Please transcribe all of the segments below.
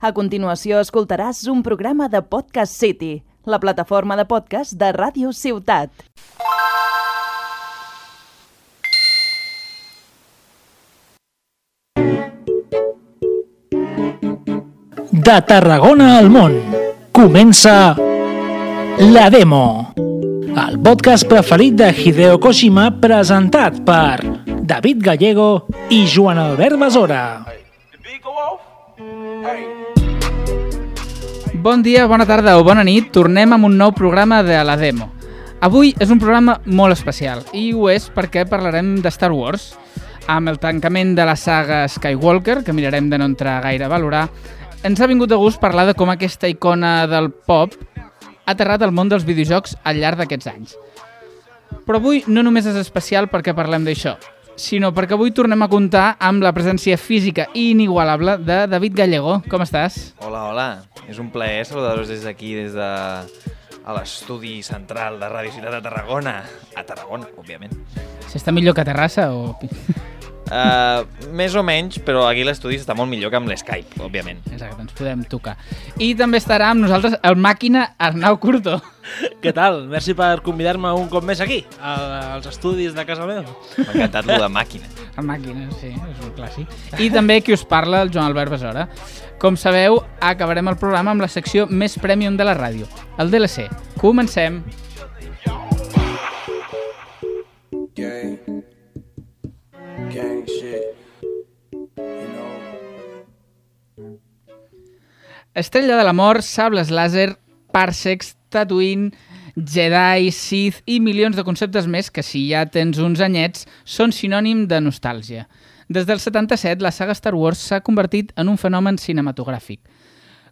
A continuació escoltaràs un programa de Podcast City, la plataforma de podcast de Ràdio Ciutat. De Tarragona al món, comença La Demo, el podcast preferit de Hideo Kojima presentat per David Gallego i Joan Albert Besora. Bon dia, bona tarda o bona nit, tornem amb un nou programa de La Demo. Avui és un programa molt especial i ho és perquè parlarem de Star Wars. Amb el tancament de la saga Skywalker, que mirarem de no entrar gaire a valorar, ens ha vingut de gust parlar de com aquesta icona del pop ha aterrat al món dels videojocs al llarg d'aquests anys. Però avui no només és especial perquè parlem d'això, sinó perquè avui tornem a comptar amb la presència física i inigualable de David Gallego. Com estàs? Hola, hola. És un plaer saludar-vos des d'aquí, des de l'estudi central de Ràdio Ciutat de Tarragona. A Tarragona, òbviament. Si està millor que a Terrassa o... Més o menys, però aquí l'estudi està molt millor que amb l'Skype, òbviament. Exacte, ens podem tocar. I també estarà amb nosaltres el màquina Arnau Curto. Què tal? Merci per convidar-me un cop més aquí, als estudis de casa meva. M'ha encantat lo de màquina. El màquina, sí, és un clàssic. I també qui us parla, el Joan Albert Besora. Com sabeu, acabarem el programa amb la secció més premium de la ràdio, el DLC. Comencem! Gang shit, you know. Estrella de la mort, sables làser, parsecs, Tatooine, Jedi, Sith i milions de conceptes més que, si ja tens uns anyets, són sinònim de nostàlgia. Des del 77, la saga Star Wars s'ha convertit en un fenomen cinematogràfic.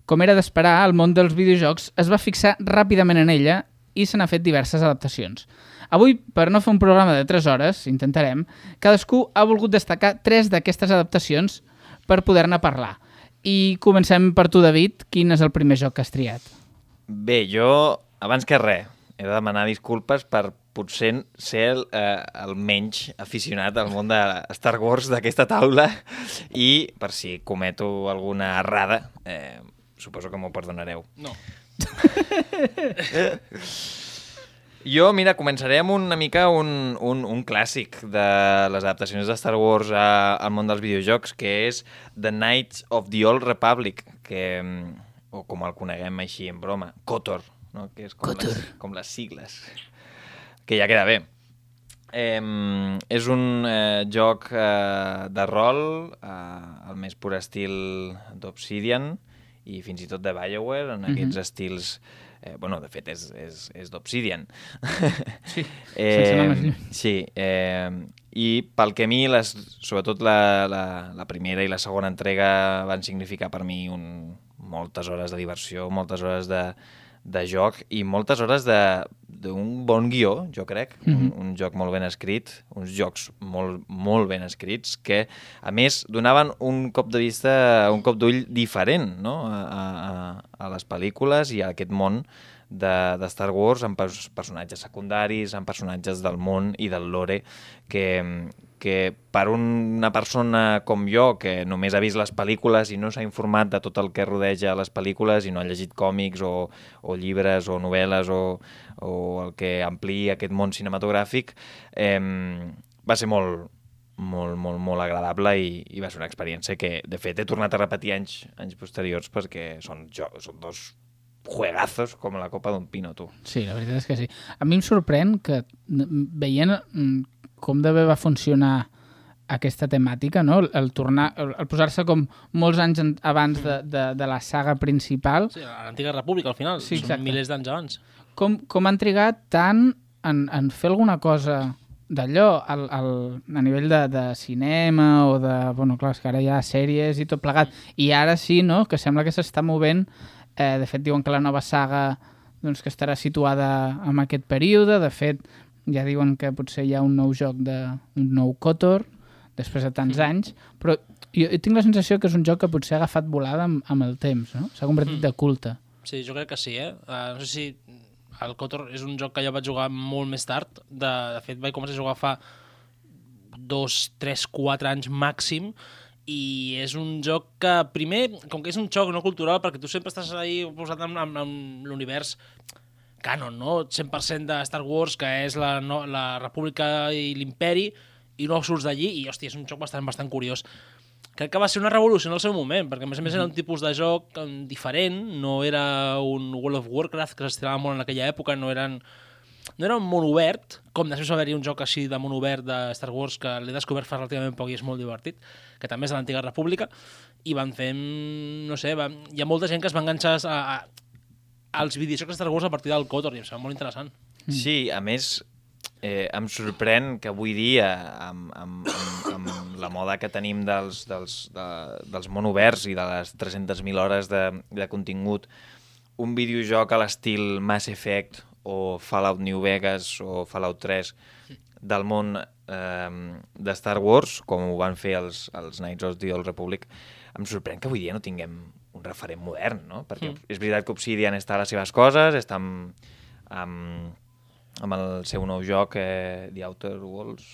Com era d'esperar, el món dels videojocs es va fixar ràpidament en ella i se n'ha fet diverses adaptacions. Avui, per no fer un programa de 3 hores, intentarem, cadascú ha volgut destacar 3 d'aquestes adaptacions per poder-ne parlar. I comencem per tu, David. Quin és el primer joc que has triat? Bé, jo, abans que res, he de demanar disculpes per potser ser el menys aficionat al món de Star Wars d'aquesta taula i per si cometo alguna errada, suposo que m'ho perdonareu. No. Jo, mira, començaré amb una mica un clàssic de les adaptacions de Star Wars al món dels videojocs, que és The Knights of the Old Republic, que, o com el coneguem així en broma, KOTOR, no? Que és com les sigles, que ja queda bé. És un joc de rol, al més pur estil d'Obsidian i fins i tot de BioWare, en aquests estils... bueno, de fet, és d'Obsidian. Sí, sense anar més lluny. Sí, i pel que a mi, sobretot la primera i la segona entrega van significar per mi moltes hores de diversió, moltes hores de joc i moltes hores d'un bon guió, jo crec. Un joc molt ben escrit, uns jocs molt, molt ben escrits que, a més, donaven un cop de vista, un cop d'ull diferent, no? a les pel·lícules i a aquest món de Star Wars, amb personatges secundaris, amb personatges del món i del lore que per una persona com jo, que només ha vist les pel·lícules i no s'ha informat de tot el que rodeja les pel·lícules i no ha llegit còmics o llibres o novel·les o el que ampliï aquest món cinematogràfic, va ser molt, molt, molt, molt agradable i va ser una experiència que, de fet, he tornat a repetir anys posteriors perquè són dos juegazos com la copa d'un pino, tu. Sí, la veritat és que sí. A mi em sorprèn que, veient com de bé va funcionar aquesta temàtica, no? El posar-se com molts anys abans de la saga principal. Sí, a l'Antiga República, al final. Sí, són milers d'anys abans. Com han trigat tant en fer alguna cosa d'allò a nivell de cinema o de... Bueno, clar, és que ara hi ha sèries i tot plegat. I ara sí, no?, que sembla que s'està movent. De fet, diuen que la nova saga doncs, que estarà situada en aquest període. De fet, ja diuen que potser hi ha un nou joc, un nou KOTOR, després de tants anys, però jo tinc la sensació que és un joc que potser ha agafat volada amb el temps, no? S'ha convertit de culte. Sí, jo crec que sí, no sé si el KOTOR és un joc que jo vaig jugar molt més tard, de fet vaig començar a jugar fa 2, 3, 4 anys màxim, i és un joc que, primer, com que és un joc no cultural, perquè tu sempre estàs ahí posat en l'univers canon, no? 100% de Star Wars, que és la República i l'Imperi, i no surts d'allí, i, hòstia, és un joc bastant curiós. Crec que va ser una revolució en el seu moment, perquè a més era un tipus de joc diferent, no era un World of Warcraft que s'estirava molt en aquella època, no era un món obert, com després va haver-hi un joc així de món obert de Star Wars que l'he descobert fa relativament poc i és molt divertit, que també és de l'antiga república, i van fer, no sé, hi ha molta gent que es va enganxar als videojocs de Star Wars a partir del KOTOR, i em sembla molt interessant. Sí, a més, em sorprèn que avui dia, amb la moda que tenim dels món oberts i de les 300.000 hores de contingut, un videojoc a l'estil Mass Effect o Fallout New Vegas o Fallout 3 del món de Star Wars, com ho van fer els Knights of the Old Republic, em sorprèn que avui dia no tinguem un referent modern, no? Perquè és veritat que Obsidian està a les seves coses, està amb el seu nou joc, The Outer Worlds.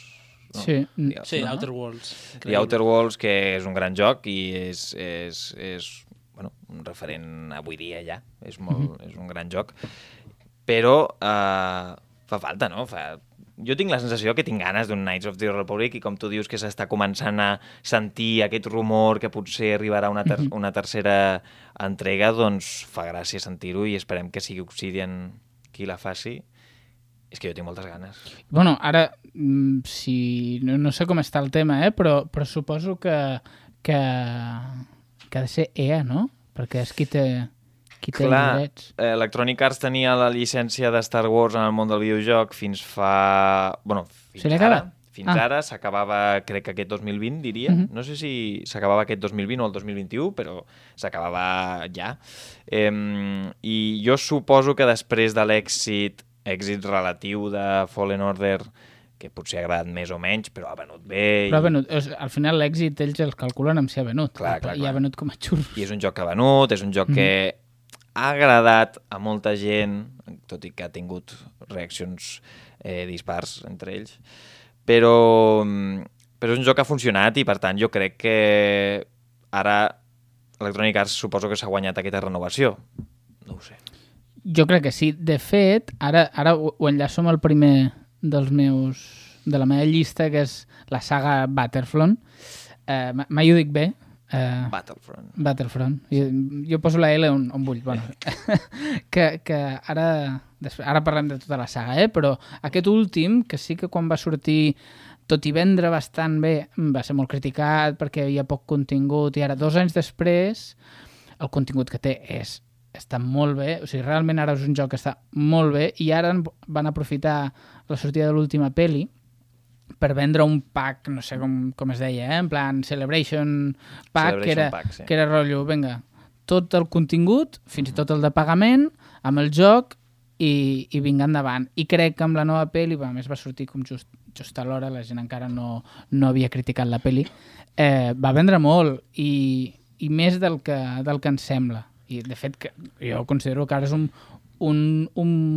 No? Sí, Outer Worlds. The Outer Worlds, que és un gran joc i és bueno, un referent avui dia ja. És un gran joc. Però fa falta, no? Jo tinc la sensació que tinc ganes d'un Knights of the Republic i com tu dius que s'està començant a sentir aquest rumor que potser arribarà una tercera entrega, doncs fa gràcia sentir-ho i esperem que sigui Obsidian qui la faci. És que jo tinc moltes ganes. Bueno, ara, si no sé com està el tema, però suposo que ha de ser EA, no? Perquè és qui té els drets. Electronic Arts tenia la llicència de Star Wars en el món del videojoc fins fa... Bueno, fins ara s'acabava, crec que aquest 2020, diria. No sé si s'acabava aquest 2020 o el 2021, però s'acabava ja. I jo suposo que després de l'èxit relatiu de Fallen Order, que potser ha agradat més o menys, però ha venut bé. Però ha venut. Al final l'èxit ells els calculen amb si ha venut. Clar. I ha venut com a xurros. I és un joc que ha venut, és un joc que ha agradat a molta gent, tot i que ha tingut reaccions dispars entre ells, però és un joc que ha funcionat i, per tant, jo crec que ara Electronic Arts suposo que s'ha guanyat aquesta renovació. No ho sé. Jo crec que sí. De fet, ara ho enllaço amb el primer de la meva llista, que és la saga Battlefront. Mai ho dic bé. Battlefront. Jo poso la L on vull. Bueno, que ara parlem de tota la saga, però aquest últim, que sí que quan va sortir, tot i vendre bastant bé, va ser molt criticat perquè hi havia poc contingut, i ara 2 anys després el contingut que té està molt bé, o sigui, realment ara és un joc que està molt bé, i ara van aprofitar la sortida de l'última peli per vendre un pack, no sé com es deia, en plan Celebration Pack, que era rotllo, vinga, tot el contingut, fins i tot el de pagament, amb el joc, i vinga endavant. I crec que amb la nova peli, a més va sortir com just a l'hora, la gent encara no havia criticat la peli, va vendre molt, i més del que ens sembla. I, de fet, jo considero que ara és un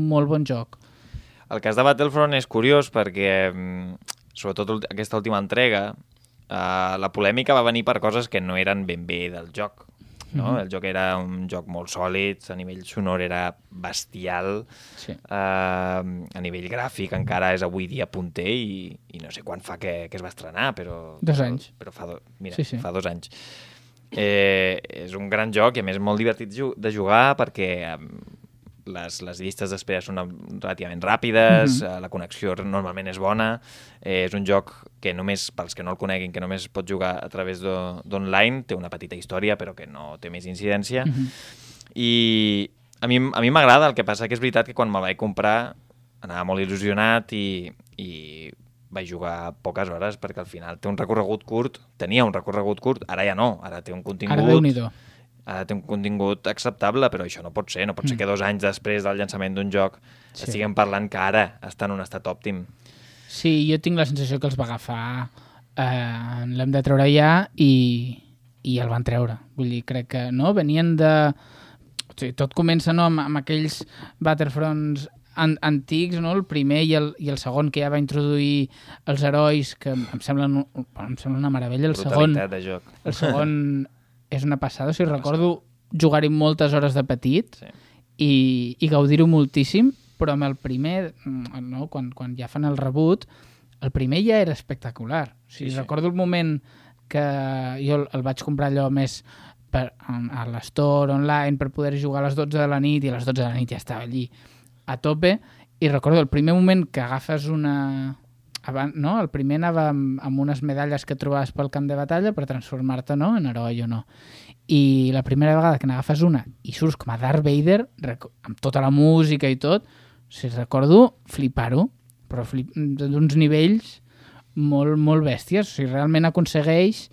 molt bon joc. El cas de Battlefront és curiós perquè, sobretot aquesta última entrega, la polèmica va venir per coses que no eren ben bé del joc. No? El joc era un joc molt sòlid, a nivell sonor era bestial, sí. A nivell gràfic encara és avui dia punter i no sé quan fa que es va estrenar, però... 2 anys. Però fa 2 anys. És un gran joc i a més molt divertit de jugar perquè les llistes d'espera són relativament ràpides, la connexió normalment és bona, és un joc que només, pels que no el coneguin, que només pot jugar a través d'online, té una petita història però que no té més incidència i a mi m'agrada, el que passa que és veritat que quan me'l vaig comprar anava molt il·lusionat i vaig jugar poques hores perquè al final tenia un recorregut curt, ara ja no, ara té un contingut acceptable, però això no pot ser que 2 anys després del llançament d'un joc estiguem parlant que ara està en un estat òptim. Sí, jo tinc la sensació que els va agafar, l'hem de treure ja i el van treure. Vull dir, crec que no, venien de... O sigui, tot comença amb aquells Battlefronts antics, no? El primer i el segon, que ja va introduir els herois, que em semblen una meravella. El Brutalitat de joc. El segon és una passada. O sigui, recordo jugar-hi moltes hores de petit i gaudir-ho moltíssim, però amb el primer, no? Quan ja fan el reboot, el primer ja era espectacular. O sigui, recordo el moment que jo el vaig comprar allò més a l'Store online per poder jugar a les 12 de la nit, i a les 12 de la nit ja estava allí a tope, i recordo el primer moment que agafes una... no? El primer anava amb unes medalles que trobaves pel camp de batalla per transformar-te, no?, en heroi o no. I la primera vegada que n'agafes una i surts com a Darth Vader, amb tota la música i tot, o sigui, recordo flipar-ho, però d'uns nivells molt, molt bèsties. O sigui, realment aconsegueix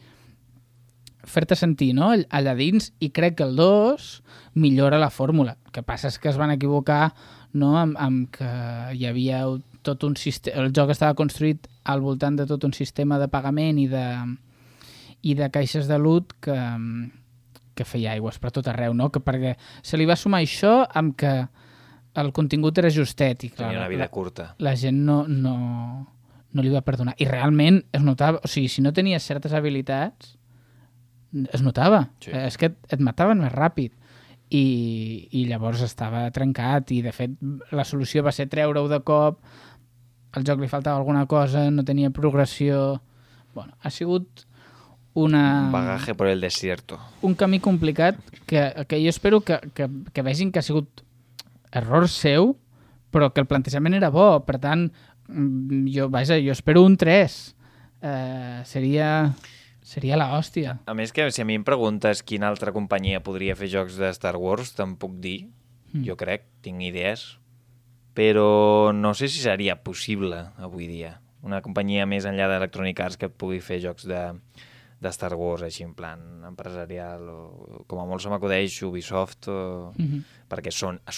fer-te sentir, no?, allà dins, i crec que el 2 millora la fórmula. El que passa és que es van equivocar, no?, amb que hi havia tot un sistema... El joc estava construït al voltant de tot un sistema de pagament i de caixes de loot que feia aigües per tot arreu, no? Perquè se li va sumar això amb que el contingut era justet i clar, tenia una vida curta. La gent no li va perdonar. I realment es notava, o sigui, si no tenies certes habilitats, es notava. Sí. És que et mataven més ràpid. I llavors estava trencat i de fet la solució va ser treure-ho de cop, al joc li faltava alguna cosa, no tenia progressió... Bueno, ha sigut un bagaje por el desierto. Un camí complicat que jo espero que vegin que ha sigut error seu, però que el plantejament era bo. Per tant, jo espero un 3. Seria l'hòstia. A més, que si a mi em preguntes quina altra companyia podria fer jocs de Star Wars, te'n puc dir. Jo crec, tinc idees. Però no sé si seria possible avui dia. Una companyia més enllà d'Electronic Arts que pugui fer jocs de Star Wars així en plan empresarial, o com a molt se m'acudeix Ubisoft, perquè a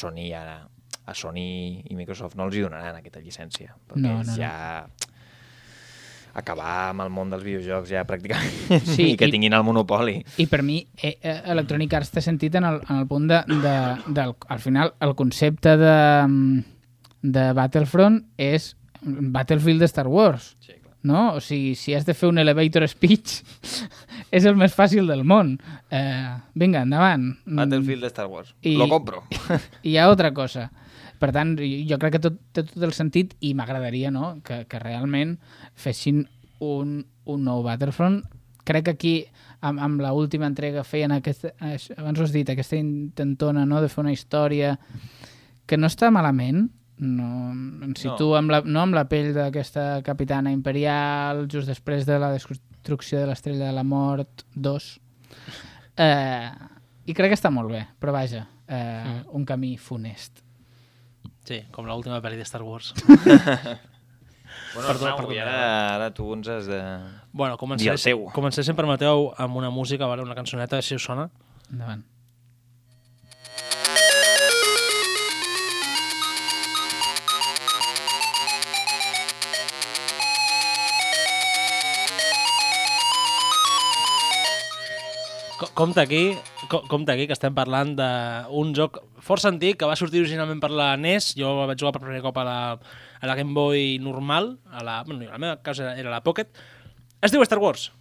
Sony i Microsoft no els hi donaran aquesta llicència, perquè ja acabar amb el món dels videojocs ja pràcticament, sí, i que tinguin el monopoli. I per mi Electronic Arts té sentit en el punt al final el concepte de Battlefront és Battlefield de Star Wars. Sí, clar. No? O sigui, si has de fer un elevator speech és el més fàcil del món. Vinga, endavant. Battlefield de Star Wars. Lo compro. I hi ha altra cosa. Per tant, jo crec que té tot el sentit i m'agradaria, no?, que realment fessin un nou Battlefront. Crec que aquí, amb l'última entrega, feien abans ho has dit, aquesta intentona, no?, de fer una història que no està malament. No, em situo amb la pell d'aquesta capitana imperial just després de la destrucció de l'Estrella de la Mort 2 i crec que està molt bé, però vaja, un camí funest. Sí, com l'última pel·li de Star Wars. Bueno, perdó, i ara tu ens has de dir el seu. Comencem, si em permeteu, amb una música, una cançoneta, si us sona. Endavant. Compte aquí que estem parlant d'un joc força antic que va sortir originalment per la NES. Jo vaig jugar per primer cop a la Game Boy normal, en el meu cas era la Pocket. Es diu Star Wars.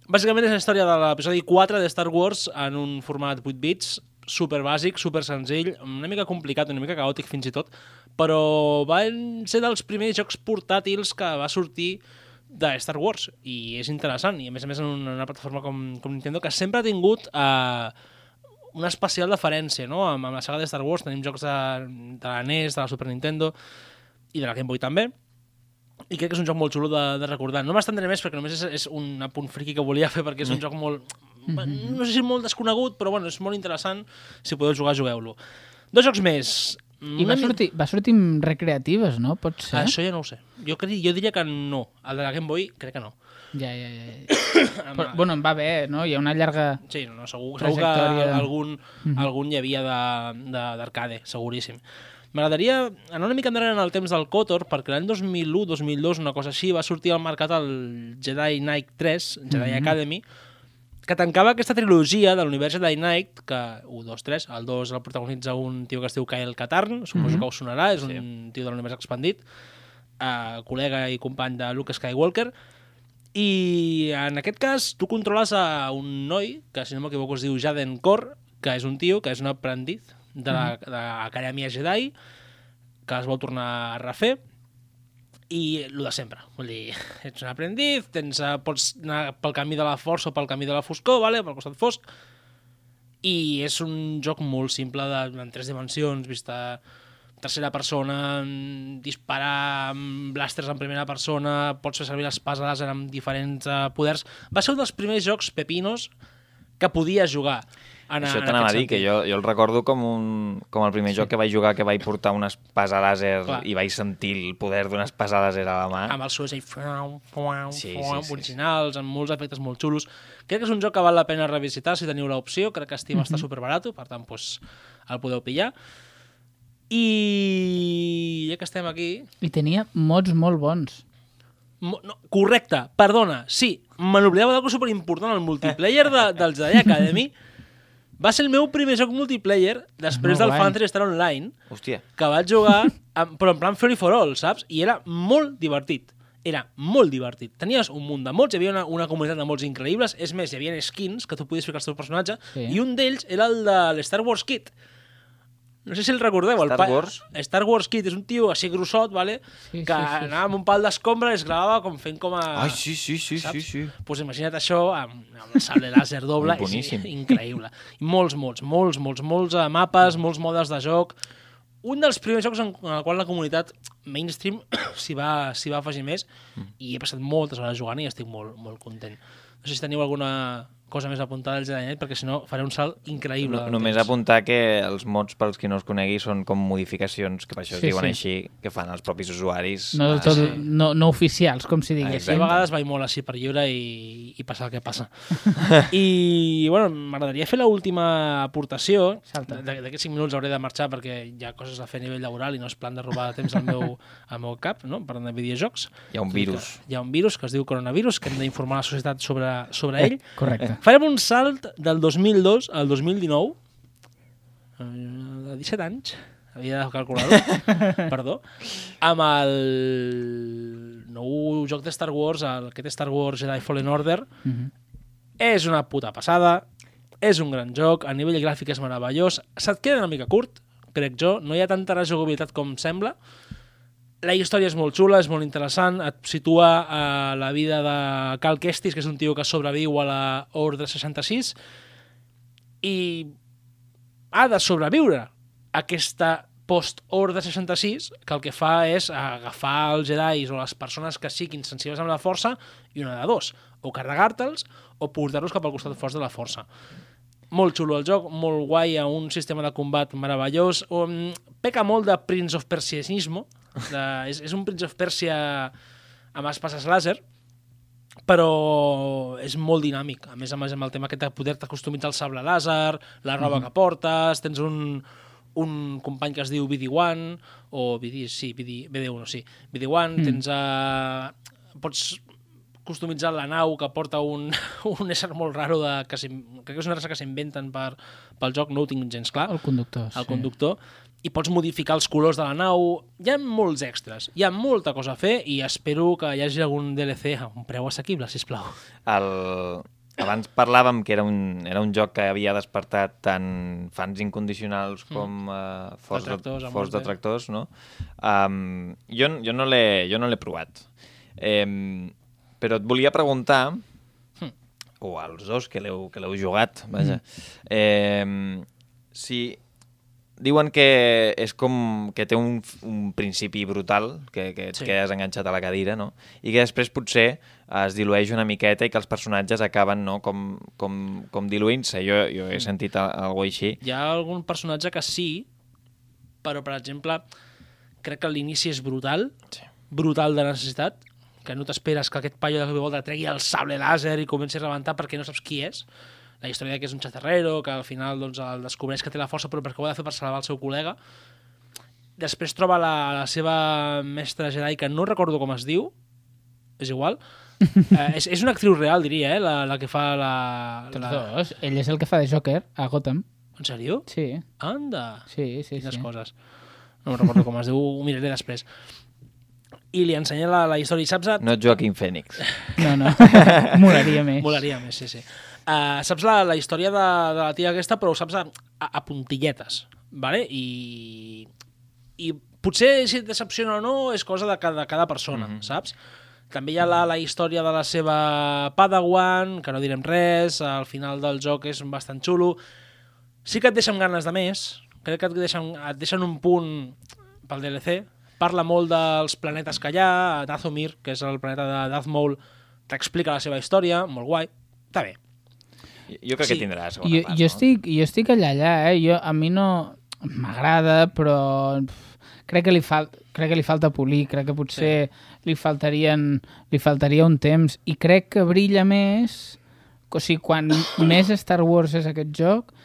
Bàsicament és la història de l'episodi 4 de Star Wars en un format 8 bits, super bàsic, super senzill, una mica complicat, una mica caòtic fins i tot, però van ser dels primers jocs portàtils que va sortir de Star Wars, i és interessant, i a més en una plataforma com Nintendo, que sempre ha tingut una especial deferència, no?, amb la saga de Star Wars. Tenim jocs de la NES, de la Super Nintendo i de la Game Boy també, i crec que és un joc molt xulo de recordar. No m'estendré més perquè només és un apunt friqui que volia fer, perquè és un joc molt, no sé si molt desconegut, però bueno, és molt interessant. Si podeu jugar, jugueu-lo. 2 jocs més. I va sortir amb recreatives, no? Pot ser? Això ja no ho sé. Jo diria que no. El de la Game Boy crec que no. Ja. Però, bueno, em va bé, no? Hi ha una llarga sí, segur que algun hi havia d'arcade, seguríssim. M'agradaria anar una mica endarrere en el temps del KOTOR, perquè l'any 2001-2002, una cosa així, va sortir al mercat el Jedi Knight 3, Jedi Academy, que tancava aquesta trilogia de l'univers Jedi Knight, que 1, 2, 3, el 2 el protagonitza un tio que es diu Kyle Katarn, suposo que us sonarà, és un tio de l'univers expandit, col·lega i company de Luke Skywalker, i en aquest cas tu controles a un noi, que si no m'equivoco es diu Jaden Korr, que és un tio, que és un aprendiz de l'Acadèmia Jedi, que es vol tornar a refer, i el de sempre, vull dir, ets un aprendiz, pots anar pel camí de la força o pel camí de la foscor, vale? Pel costat fosc, i és un joc molt simple en 3 dimensions, vista tercera persona, disparar amb blasters en primera persona, pots fer servir l'espasa làser amb diferents poders. Va ser un dels primers jocs pepinos que podia jugar. Això t'anava a dir, que jo el recordo com el primer joc que vaig jugar, que vaig portar una espasa làser i vaig sentir el poder d'una espasa làser a la mà. Amb els sons originals, amb molts efectes molt xulos. Crec que és un joc que val la pena revisitar si teniu l'opció. Crec que Steam està superbarato, per tant, el podeu pillar. I ja que estem aquí... I tenia mods molt bons. No, correcte, perdona, sí, me n'oblidava d'algo superimportant, el multiplayer del Jedi Academy va ser el meu primer joc multiplayer després del Phantasy Star Online. Hòstia. Que vaig jugar, però en plan free for all, saps? I era molt divertit. Era molt divertit. Tenies un munt de mods, hi havia una comunitat de mods increïbles, és més, hi havia skins que tu podies ficar al teu personatge, i un d'ells era el de l'Star Wars Kid. No sé si el recordeu. Star Wars Kid és un tio així grossot, vale? Que anava amb un pal d'escombra i es gravava com fent com a... Ai, sí. Pues imagina't això amb el sable làser doble. És increïble. I molts mapes, molts modes de joc. Un dels primers jocs en el qual la comunitat mainstream s'hi va afegir més i he passat moltes hores jugant i estic molt, molt content. No sé si teniu alguna cosa més apuntada al Jedi Knight, perquè si no faré un salt increïble. Només apuntar que els mods, pels qui no els conegui, són com modificacions, que per això es diuen així, que fan els propis usuaris. No oficials, com si digués. A vegades vaig molt així per lliure i passa el que passa. I, bueno, m'agradaria fer l'última aportació. D'aquests 5 minuts hauré de marxar perquè hi ha coses a fer a nivell laboral i no és plan de robar temps al meu cap, no? Parlant de videojocs. Hi ha un virus. Hi ha un virus que es diu coronavirus, que hem d'informar la societat sobre ell. Correcte. Farem un salt del 2002 al 2019, de 17 anys, havia de calcular-ho, perdó, amb el nou joc de Star Wars, aquest Star Wars Jedi Fallen Order. És una puta passada, és un gran joc, a nivell gràfic és meravellós, se't queda una mica curt, crec jo, no hi ha tanta rejugabilitat com sembla. La història és molt xula, és molt interessant, et situa a la vida de Cal Kestis, que és un tio que sobreviu a la Ordre 66, i ha de sobreviure a aquesta post-Ordre 66, que el que fa és agafar els Jedis o les persones que siguin sensibles amb la força, i una de dos, o carregar-te'ls o portar-los cap al costat fort de la força. Molt xulo el joc, molt guai, a un sistema de combat meravellós, peca molt de Prince of Persianismo, és un Prince of Persia amb espases làser, però és molt dinàmic, a més amb el tema aquest de poder-te customitzar el sable làser, la roba que portes, tens un company que es diu BD-1, o BD-1, tens pots customitzar la nau que porta un ésser molt raro, crec que és una raça que s'inventen pel joc, no ho tinc gens clar. El conductor. El conductor. I pots modificar els colors de la nau. Hi ha molts extras, hi ha molta cosa a fer i espero que hi hagi algun DLC a un preu assequible, sisplau. Abans parlàvem que era un joc que havia despertat tant fans incondicionals com forts detractors, no? Jo no l'he provat. Però et volia preguntar, o als dos que l'heu jugat, vaja, si diuen que és com que té un principi brutal, que et quedes enganxat a la cadira, no? I que després potser es dilueix una miqueta i que els personatges acaben, no, com diluint-se. Jo he sentit alguna cosa així. Hi ha algun personatge que sí, però, per exemple, crec que l'inici és brutal de necessitat, que no t'esperes que aquest paio de cop i volta tregui el sable làser i comenci a rebentar perquè no saps qui és. La història que és un chatarrero, que al final doncs, el descobreix que té la força però perquè ho ha de fer per salvar el seu col·lega. Després troba la seva mestra Jedi, que no recordo com es diu, és igual, És una actriu real, diria, la que fa la... Tots dos. Ell és el que fa de Joker a Gotham. En sèrio? Sí. Anda! Sí. Quines coses. No me'n recordo com es diu, ho miraré després. I li ensenya la història. Saps? No Joaquin Phoenix. No. Molaria més. Molaria més, sí. Saps la història de la tia aquesta, però ho saps a puntilletes, ¿vale? I potser si et decepciona o no és cosa de cada persona, saps? També hi ha la història de la seva Padawan, que no direm res, al final del joc és bastant xulo. Sí que et deixen ganes de més, crec que et deixen un punt pel DLC. Parla molt dels planetes que hi ha, Dathomir, que és el planeta de Darth Maul, t'explica la seva història, molt guai, està bé. Jo crec que tindrà la segona part, jo estic allà, a mi no m'agrada, però crec que li falta polir, crec que potser li faltaria un temps, i crec que brilla més, o sigui, quan més Star Wars és aquest joc,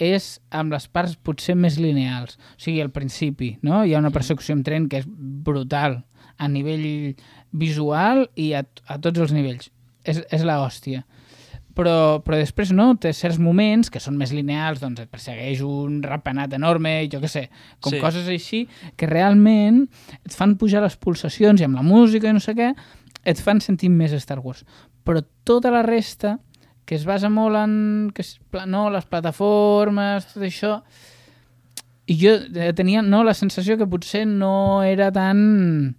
és amb les parts potser més lineals. O sigui, al principi, no? Hi ha una persecució amb tren que és brutal a nivell visual i a tots els nivells. És l'hòstia. Però després no, té certs moments que són més lineals, doncs et persegueix un ratpenat enorme, jo què sé, com coses així, que realment et fan pujar les pulsacions i amb la música i no sé què, et fan sentir més Star Wars. Però tota la resta, que es basa molt en les plataformes, tot això, i jo tenia la sensació que potser no era tan...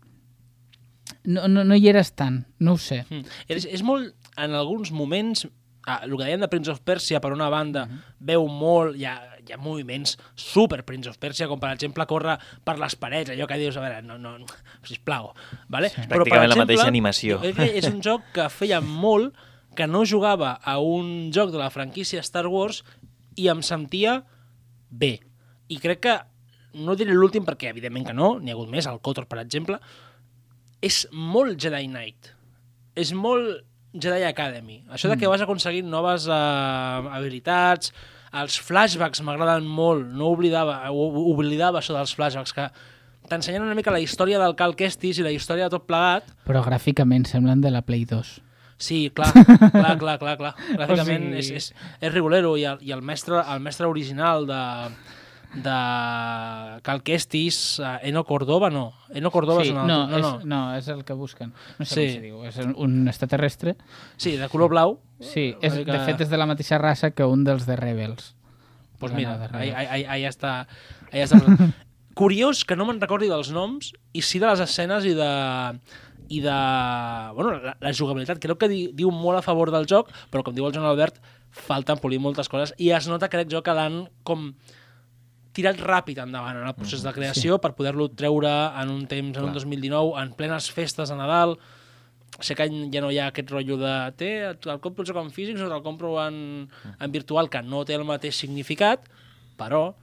No hi eres tant, no ho sé. És molt, en alguns moments, el que dèiem de Prince of Persia, per una banda, veu molt, hi ha moviments super Prince of Persia, com per exemple córrer per les parets, allò que dius, a veure, no sisplau. Vale? És pràcticament la mateixa animació. És un joc que feia molt que no jugava a un joc de la franquícia Star Wars i em sentia bé. I crec que, no diré l'últim perquè evidentment que no, n'hi ha hagut més, el KOTOR, per exemple, és molt Jedi Knight. És molt Jedi Academy. Això de que vas aconseguint noves habilitats, els flashbacks m'agraden molt, no oblidava això dels flashbacks, que t'ensenyen una mica la història del Cal Kestis i la història de tot plegat. Però gràficament semblen de la Play 2. Sí, clar. Gràficament o sigui... és rigolero i el mestre original de Cal Kestis, Eno Cordova, no. Eno Cordova sí, és un altre. No, és el que busquen. No sé com se diu. És un extraterrestre. Sí, de color blau. Sí, de fet és de la mateixa raça que un dels de Rebels. Pues mira, ahí està. Curiós que no me'n recordi dels noms i sí de les escenes i de la jugabilitat. Crec que diu molt a favor del joc, però com diu el Joan Albert, falten polir moltes coses i es nota que aquest joc l'han com tirat ràpid endavant en el procés de creació per poder-lo treure en un temps, en un 2019, en plenes festes de Nadal. Sé que ja no hi ha aquest rotllo de el compro el joc en físic o el compro en virtual, que no té el mateix significat, però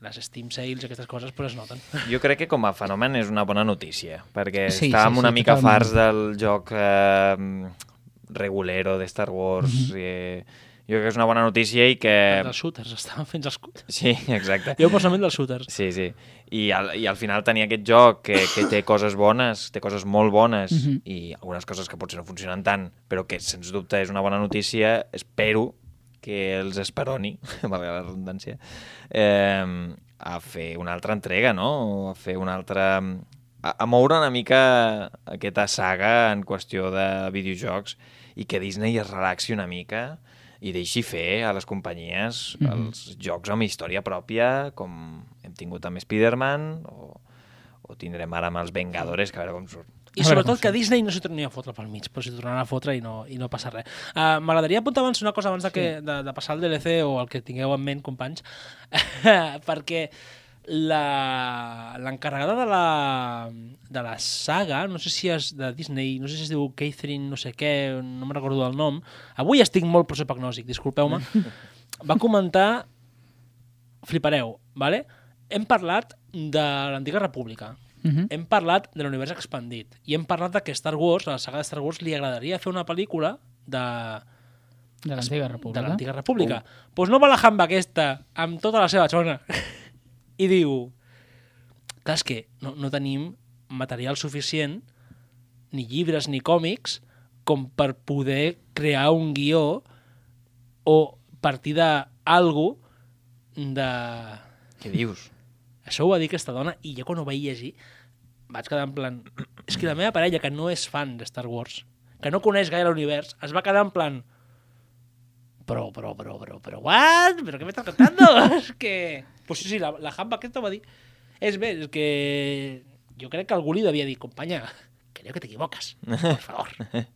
les Steam Sales i aquestes coses pues es noten. Jo crec que com a fenomen és una bona notícia, perquè estàvem una mica farts del joc regulero de Star Wars. Jo crec que és una bona notícia i que... Els shooters, estaven fent els shooters. Sí, exacte. Jo personalment dels shooters. Sí. I al final tenir aquest joc que té coses bones, té coses molt bones i algunes coses que potser no funcionen tant, però que sens dubte és una bona notícia, espero que els esperoni, valga la redundància, a fer una altra entrega, no? A fer una altra... A moure una mica aquesta saga en qüestió de videojocs i que Disney es relaxi una mica i deixi fer a les companyies els jocs amb història pròpia, com hem tingut amb Spider-Man o tindrem ara amb els Vengadores, que a veure com surt. I sobretot que Disney no s'hi torni a fotre pel mig, però s'hi tornarà a fotre i no passa res. M'agradaria apuntar abans una cosa abans de passar al DLC o el que tingueu en ment, companys, perquè l'encarregada de la saga, no sé si és de Disney, no sé si es diu Catherine no sé què, no me'n recordo del nom, avui estic molt prosopagnòsic, disculpeu-me, va comentar, flipareu, vale? Hem parlat de l'Antiga República, hem parlat de l'univers expandit i hem parlat que Star Wars, a la saga de Star Wars, li agradaria fer una pel·lícula de l'Antiga República. De l'Antiga República. Doncs no va la jamba aquesta, amb tota la seva xona. I diu, clar, és que no tenim material suficient, ni llibres ni còmics, com per poder crear un guió o partir d'algú de... Què dius? Això ho va dir aquesta dona i jo quan ho vaig llegir vaig quedar en plan... És que la meva parella, que no és fan de Star Wars, que no coneix gaire l'univers, es va quedar en plan... Però, what? ¿Pero qué me estás contando? És que... Pues sí, la Hamba aquesta va dir... És bé, és que... Jo crec que algú li devia dir, companya, creo que te equivocas, por favor.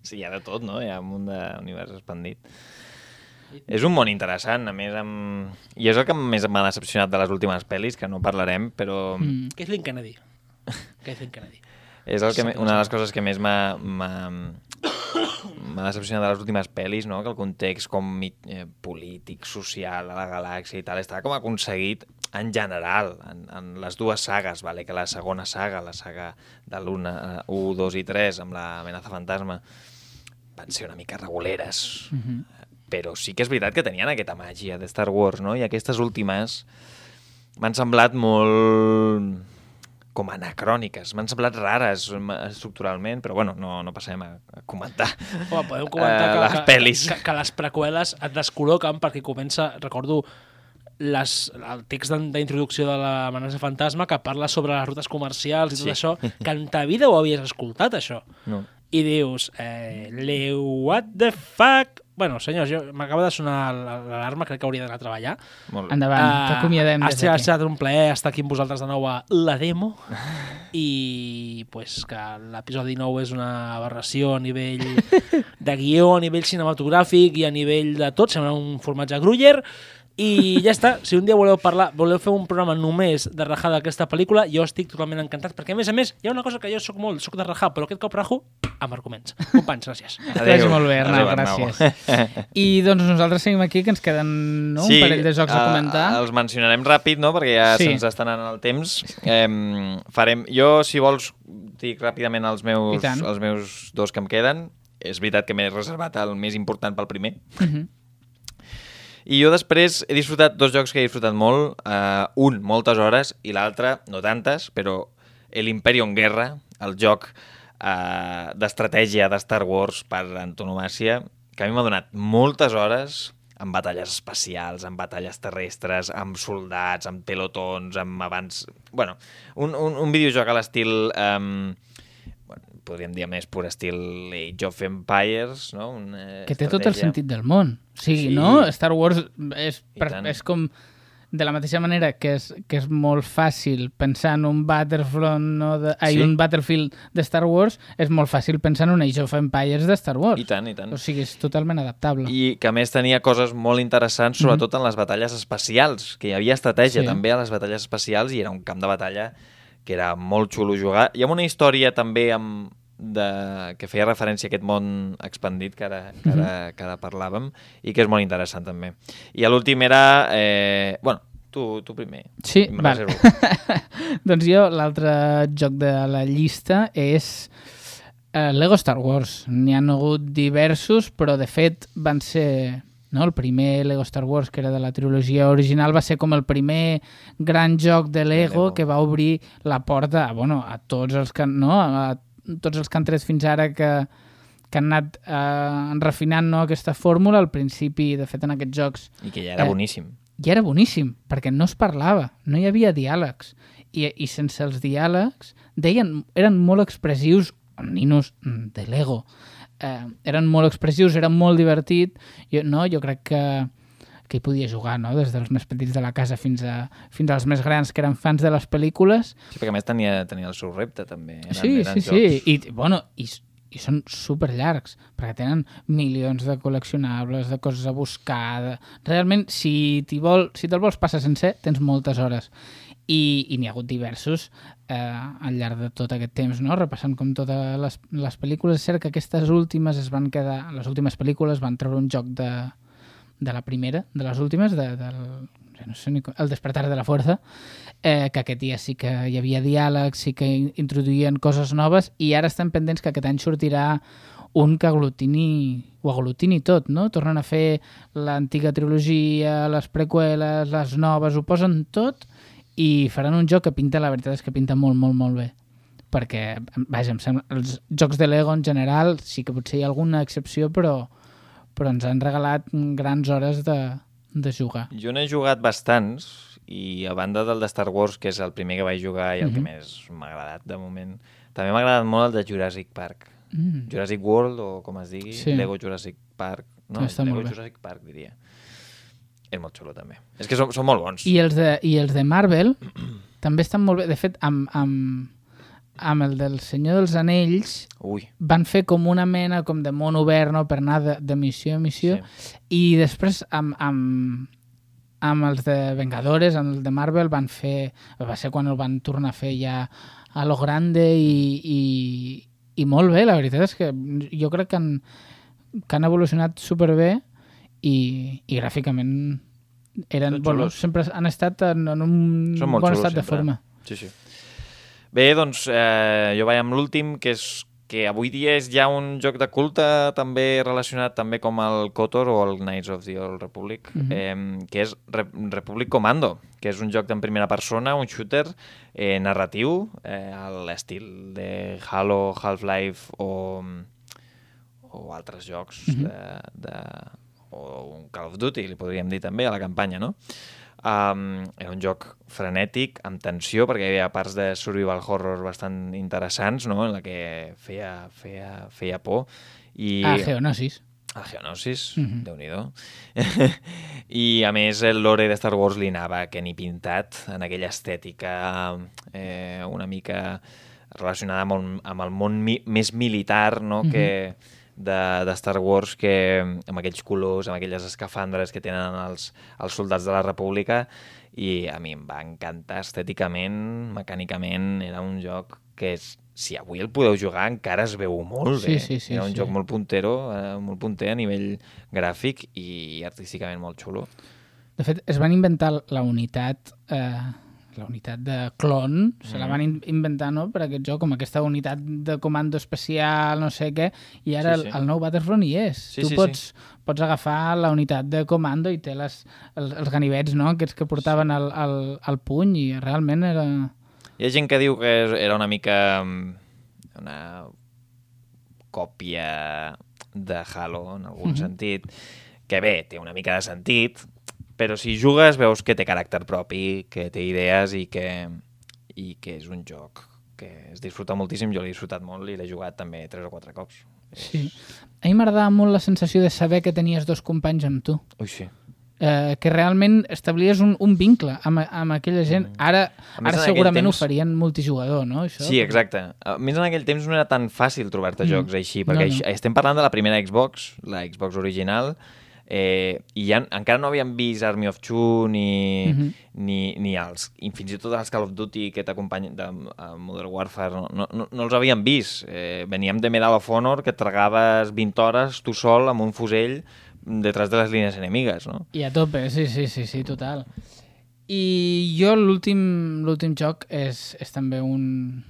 Sí, hi ha de tot, no? Hi ha un munt d'univers expandit. És un món interessant, a més, i és el que més m'ha decepcionat de les últimes pel·lis, que no parlarem, però... Kathleen Kennedy. Kathleen Kennedy. És una de les coses que més m'ha decepcionat de les últimes pel·lis, no? Que el context polític, social, a la galàxia i tal, està com aconseguit en general, en les dues sagues, vale? Que la segona saga, la saga de l'1, 2 i 3, amb l'amenaça fantasma, van ser una mica reguleres, però sí que és veritat que tenien aquesta màgia de Star Wars, no? I aquestes últimes m'han semblat molt com anacròniques, m'han semblat rares estructuralment, però bueno, no passem a comentar, podem comentar les pel·lis. Que les preqüeles et descol·loquen perquè comença, recordo, el text d'introducció de l'amenaça fantasma que parla sobre les rutes comercials i tot això, que en ta vida ho havies escoltat, això. No. I dius, what the fuck? Bueno, senyors, m'acaba de sonar l'alarma, crec que hauria d'anar a treballar. Molt bé. Endavant, t'acomiadem des d'aquí. Ha estat un plaer estar aquí amb vosaltres de nou a La Demo i pues, que l'episodi 9 és una aberració a nivell de guió, a nivell cinematogràfic i a nivell de tot, sembla un formatge Gruyère. I ja està, si un dia voleu fer un programa només de rajar d'aquesta pel·lícula, jo estic totalment encantat, perquè a més, hi ha una cosa que jo soc de rajar, però aquest cop rajo amb arguments. Companys, gràcies. Adéu. Molt bé, Arnau, gràcies. I doncs nosaltres seguim aquí, que ens queden un parell de jocs a comentar. Els mencionarem ràpid, no?, perquè ja se'ns està anant el temps. Jo, si vols, dic ràpidament els meus dos que em queden. És veritat que m'he reservat el més important pel primer. I jo després he disfrutat dos jocs que he disfrutat molt, un moltes hores i l'altre no tantes, però l'Imperium Guerra, el joc d'estratègia de Star Wars per antonomàsia, que a mi m'ha donat moltes hores amb batalles espacials, amb batalles terrestres, amb soldats, amb pelotons, amb abans... Bueno, un videojoc a l'estil... podríem dir més pur estil Age of Empires, no? Que té tot el sentit del món. O sigui, no? Star Wars és com... De la mateixa manera que és molt fàcil pensar en un Battlefront un Battlefield de Star Wars, és molt fàcil pensar en un Age of Empires de Star Wars. I tant. O sigui, és totalment adaptable. I que a més tenia coses molt interessants, sobretot en les batalles espacials, que hi havia estratègia també a les batalles espacials i era un camp de batalla que era molt xulo jugar. Hi ha una història també que feia referència a aquest món expandit que ara parlàvem i que és molt interessant també. I l'últim era... tu primer. Sí, val. Doncs jo, l'altre joc de la llista és Lego Star Wars. N'hi ha hagut diversos, però de fet van ser... No? El primer Lego Star Wars, que era de la trilogia original, va ser com el primer gran joc de Lego que va obrir la porta a tots els que, a tots els que han tret fins ara que han anat refinant aquesta fórmula. Al principi, de fet, en aquests jocs... I que ja era boníssim. Ja era boníssim, perquè no es parlava, no hi havia diàlegs. I sense els diàlegs, eren molt expressius, ninos de Lego. Eren molt expressius, era molt divertit. Jo crec que hi podia jugar, no? Des dels més petits de la casa fins als més grans que eren fans de les pel·lícules. Sí, perquè a més tenia el seu repte també. Sí. I són superllargs, perquè tenen milions de col·leccionables, de coses a buscar. Realment, si te'l vols passar sencer, tens moltes hores. I n'hi ha hagut diversos al llarg de tot aquest temps, no? Repassant com totes les pel·lícules. És cert que aquestes últimes les últimes pel·lícules van treure un joc de la primera, de les últimes, El despertar de la fuerza, que aquest dia sí que hi havia diàlegs, sí que introduïen coses noves, i ara estan pendents que aquest any sortirà un que aglutini tot, no? Tornen a fer l'antiga trilogia, les preqüeles, les noves, ho posen tot, i faran un joc que pinta, la veritat és que pinta molt, molt, molt bé. perquè, vaja, em sembla, els jocs de Lego en general sí que potser hi ha alguna excepció, però ens han regalat grans hores de jugar. Jo n'he jugat bastants, i a banda del de Star Wars, que és el primer que vaig jugar i el que més m'ha agradat de moment, també m'ha agradat molt el de Jurassic Park. Jurassic World, o com es digui, Lego Jurassic Park. No, Lego Jurassic Park, diria. És molt xulo, també. És que són molt bons. I els de Marvel també estan molt bé. De fet, amb el del Senyor dels Anells van fer com una mena com de món obert, no? Per anar de missió a missió. I després amb els de Vengadores, amb el de Marvel, va ser quan el van tornar a fer ja a lo grande i molt bé. La veritat és que jo crec que han evolucionat superbé i gràficament sempre han estat en un bon estat de forma. Sí. Bé, doncs jo vaig amb l'últim, que és que avui dia és ja un joc de culte també relacionat també com el KOTOR o el Knights of the Old Republic, que és Republic Commando, que és un joc en primera persona, un shooter narratiu, a l'estil de Halo, Half-Life o altres jocs o un Call of Duty, li podríem dir també, a la campanya, no? Era un joc frenètic, amb tensió, perquè hi havia parts de survival horror bastant interessants, no? En la que feia por. Geonosis. Geonosis, Déu-n'hi-do. I a més el lore de Star Wars li anava que ni pintat, en aquella estètica una mica relacionada amb el món més militar, no? Que de Star Wars, que amb aquells colors, amb aquelles escafandres que tenen els soldats de la República, i a mi em va encantar estèticament, mecànicament. Era un joc que si avui el podeu jugar encara es veu molt bé. Era un joc molt punter a nivell gràfic i artísticament molt xulo. De fet, es van inventar la unitat de clon, se la van inventar, no?, per aquest joc, com aquesta unitat de comando especial, no sé què, i ara el nou Battlefront hi és. Tu pots agafar la unitat de comando i té els ganivets, no?, aquests que portaven al puny, i realment era... Hi ha gent que diu que era una mica una còpia de Halo, en algun sentit, que bé, té una mica de sentit, però si jugues veus que té caràcter propi, que té idees i que és un joc que es disfruta moltíssim. Jo l'he disfrutat molt i l'he jugat també 3 o 4 cops. Sí. A mi m'agradava molt la sensació de saber que tenies 2 companys amb tu. Ui, sí. Que realment establies un vincle amb aquella gent. Ara segurament ho farien multijugador, no? Això? Sí, exacte. A més, en aquell temps no era tan fàcil trobar-te jocs així, perquè estem parlant de la primera Xbox, la Xbox original, i encara no havíem vist Army of Two ni fins i tot els Call of Duty que t'acompanyen de Modern Warfare no els havíem vist. Veníem de Medal of Honor, que et tragaves 20 hores tu sol amb un fusell detrás de les línies enemigues, no? I a tope, sí, total. I jo l'últim joc és també un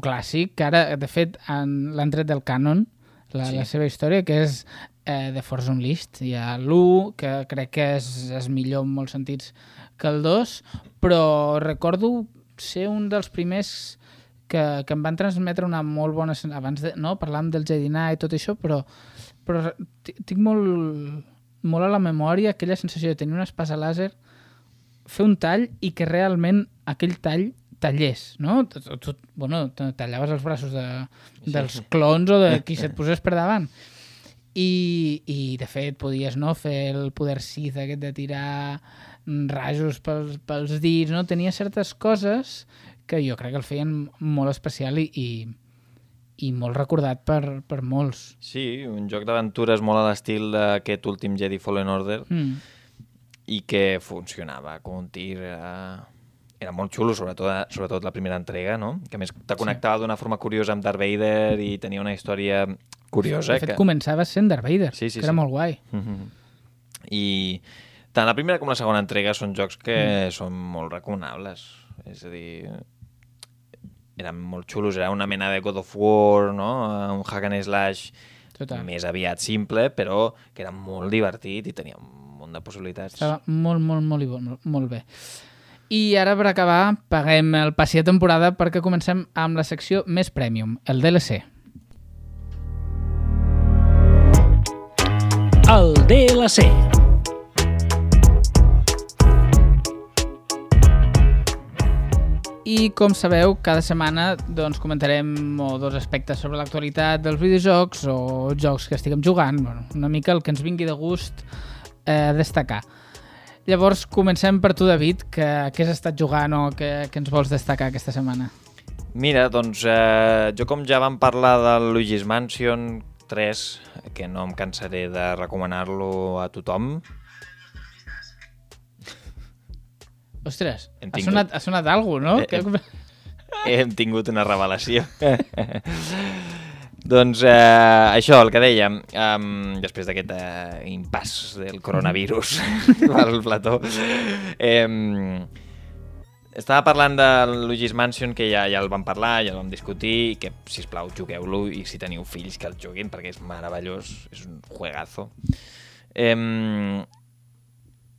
clàssic, que ara, de fet, l'han tret del canon, la seva història, que és The Force Unleashed. Hi ha l'1, que crec que és millor en molts sentits que el 2, però recordo ser un dels primers que em van transmetre una molt bona... Abans parlàvem del Jedi Knight i tot això, però tinc molt a la memòria aquella sensació de tenir una espasa làser, fer un tall i que realment aquell tall tallers, no? Tu tallaves els braços dels clons o de qui se't posés per davant. I de fet podies fer el poder Sith aquest de tirar rajos pels dits, no? Tenia certes coses que jo crec que el feien molt especial i molt recordat per molts. Sí, un joc d'aventures molt a l'estil d'aquest últim Jedi Fallen Order i que funcionava com un tir. Era molt xulo, sobretot la primera entrega, no? Que a més te connectava d'una forma curiosa amb Darth Vader i tenia una història curiosa. De fet, començava sent Darth Vader, que era molt guai. I tant la primera com la segona entrega són jocs que són molt recomanables. És a dir, eren molt xulos, era una mena de God of War, no? Un hack and slash més aviat simple, però que era molt divertit i tenia un munt de possibilitats. Estava molt bé. I ara, per acabar, paguem el passi de temporada perquè comencem amb la secció més premium, el DLC. El DLC. I, com sabeu, cada setmana doncs, comentarem dos aspectes sobre l'actualitat dels videojocs o jocs que estiguem jugant, bueno, una mica el que ens vingui de gust destacar. Llavors, comencem per tu, David, que has estat jugant o que ens vols destacar aquesta setmana? Mira, doncs jo com ja vam parlar del Luigi's Mansion 3, que no em cansaré de recomanar-lo a tothom. Ostres, ha sonat alguna cosa, no? Hem tingut una revelació. Doncs això, el que dèiem, després d'aquest impàs del coronavirus al plató, estava parlant del Luigi's Mansion, que ja el vam parlar, ja el vam discutir, i que, sisplau, jugueu-lo, i si teniu fills que el juguin, perquè és meravellós, és un juegazo.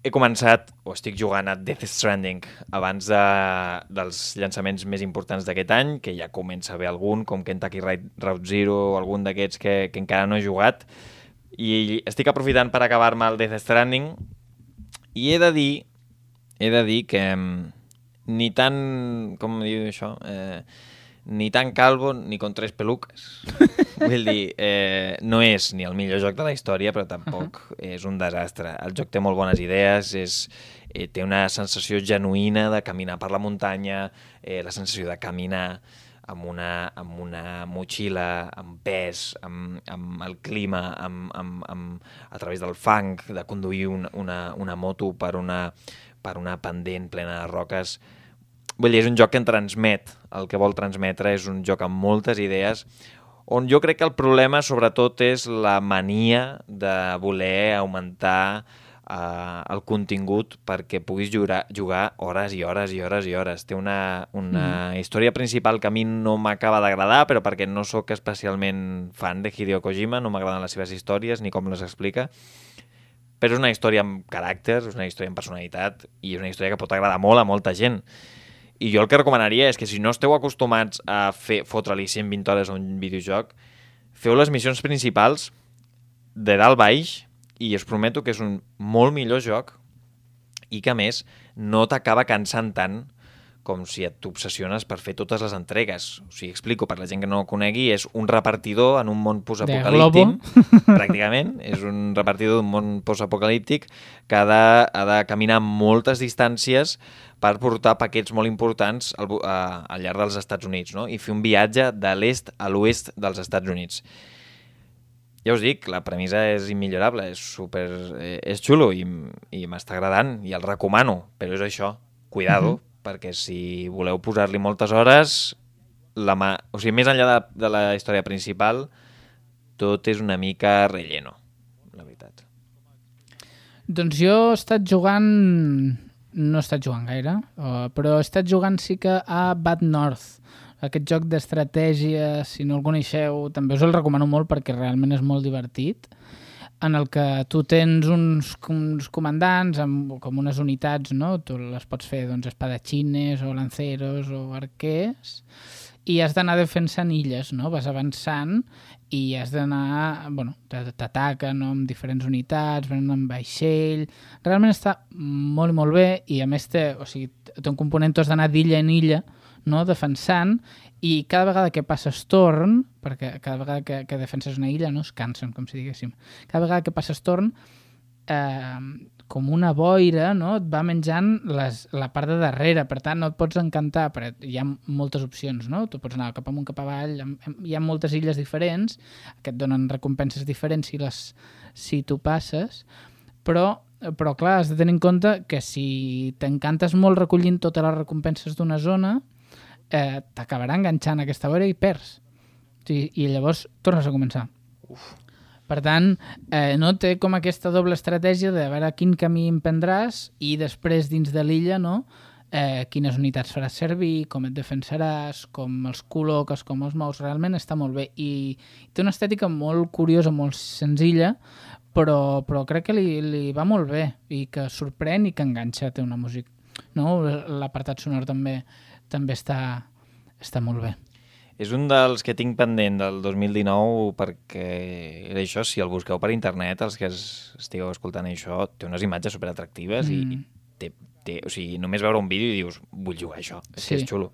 He començat, o estic jugant a Death Stranding abans dels llançaments més importants d'aquest any, que ja comença a haver algun, com Kentucky Route Zero o algun d'aquests que encara no he jugat, i estic aprofitant per acabar-me el Death Stranding, i he de dir que ni tan, com diu això, ni tan calvo ni con tres peluques. Vull dir, no és ni el millor joc de la història, però tampoc és un desastre. El joc té molt bones idees, té una sensació genuïna de caminar per la muntanya, la sensació de caminar amb una motxilla, amb pes, amb el clima, a través del fang, de conduir una moto per una pendent plena de roques. Vull dir, és un joc que en transmet, el que vol transmetre és un joc amb moltes idees, on jo crec que el problema sobretot és la mania de voler augmentar el contingut perquè puguis jugar hores i hores i hores i hores. Té una història principal que a mi no m'acaba d'agradar, però perquè no sóc especialment fan de Hideo Kojima, no m'agraden les seves històries ni com les explica, però és una història amb caràcter, és una història amb personalitat i és una història que pot agradar molt a molta gent. I jo el que recomanaria és que si no esteu acostumats a fotre-li 120 hores a un videojoc, feu les missions principals de dalt baix i us prometo que és un molt millor joc i que, a més, no t'acaba cansant tant com si t'obsessiones per fer totes les entregues. O sigui, explico, per la gent que no ho conegui, és un repartidor en un món postapocalíptic. Pràcticament. És un repartidor d'un món postapocalíptic que ha de caminar moltes distàncies per portar paquets molt importants al llarg dels Estats Units, no? I fer un viatge de l'est a l'oest dels Estats Units. Ja us dic, la premissa és immillorable, és xulo i m'està agradant i el recomano, però és això, cuidado, perquè si voleu posar-li moltes hores, o sigui, més enllà de la història principal, tot és una mica relleno, la veritat. Doncs jo he estat jugant... No he estat jugant gaire, però he estat jugant sí que a Bad North, aquest joc d'estratègia, si no el coneixeu, també us el recomano molt perquè realment és molt divertit, en el que tu tens uns comandants com unes unitats, no? Tu les pots fer espadatxines o lanceros o arquers i has d'anar defensant illes, no? Vas avançant i has d'anar... Bueno, t'ataquen amb diferents unitats, venen amb vaixell... Realment està molt i molt bé i a més té un component, tu has d'anar d'illa en illa, no? Defensant, i cada vegada que passes torn, perquè cada vegada que defenses una illa no es cansen, com si diguéssim, cada vegada que passes torn, com una boira, no? Et va menjant la part de darrere, per tant no et pots encantar, perquè hi ha moltes opcions, no? Tu pots anar cap amunt, cap avall, hi ha moltes illes diferents, que et donen recompenses diferents si tu passes, però clar, has de tenir en compte que si t'encantes molt recollint totes les recompenses d'una zona, t'acabarà enganxant aquesta boira i perds. I llavors tornes a començar. Per tant, no té com aquesta doble estratègia de veure quin camí emprendràs i després dins de l'illa, no? Quines unitats faràs servir, com et defensaràs, com els col·loques, com els mous. Realment està molt bé i té una estètica molt curiosa, molt senzilla, però crec que li va molt bé i que sorprèn i que enganxa. Té una no? L'apartat sonor també està molt bé. És un dels que tinc pendent del 2019 perquè era això, si el busqueu per internet, els que estigueu escoltant això, té unes imatges superatractives i o sigui, només veure un vídeo i dius, vull jugar a això, és xulo.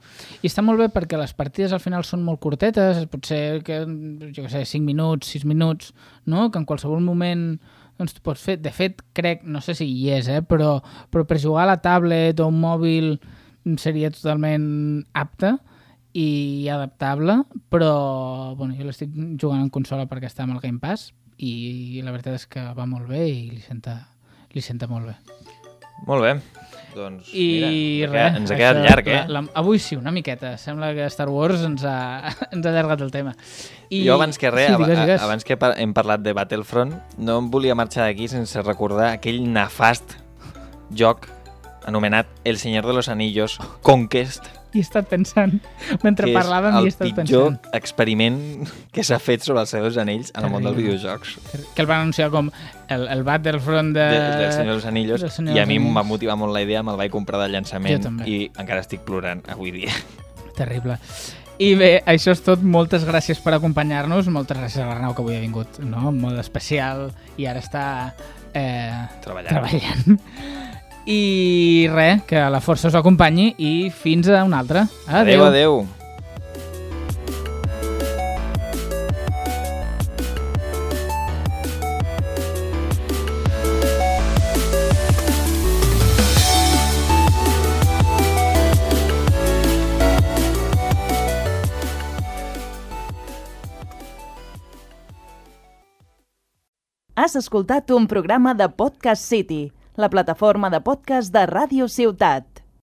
I està molt bé perquè les partides al final són molt curtetes, potser que, jo què sé, 5 minuts, 6 minuts, no? Que en qualsevol moment doncs tu pots fer. De fet, crec, no sé si hi és, però per jugar a la tablet o un mòbil seria totalment apte i adaptable, però bueno, jo l'estic jugant en consola perquè està amb el Game Pass i la veritat és que va molt bé i li senta molt bé. Molt bé. Doncs I mira, ens ha quedat llarg, avui sí, una miqueta. Sembla que Star Wars ens ha allargat el tema. Jo abans que res, digues. abans que hem parlat de Battlefront, no em volia marxar d'aquí sense recordar aquell nefast joc anomenat El Señor de los Anillos Conquest. I he estat pensant, mentre parlàvem i he estat pensant. Que és el pitjor experiment que s'ha fet sobre els Senyors dels Anells en el món dels videojocs. Que el van anunciar com el Battlefront del Senyor dels Anillos, i a mi em va motivar molt la idea, me'l vaig comprar de llançament i encara estic plorant avui dia. Terrible. I bé, això és tot. Moltes gràcies per acompanyar-nos. Moltes gràcies a l'Arnau, que avui ha vingut, no? En mode especial i ara està treballant. I res, que la força us acompanyi i fins a una altra. Adéu. Adéu. Has escoltat un programa de Podcast City, la plataforma de podcast de Ràdio Ciutat.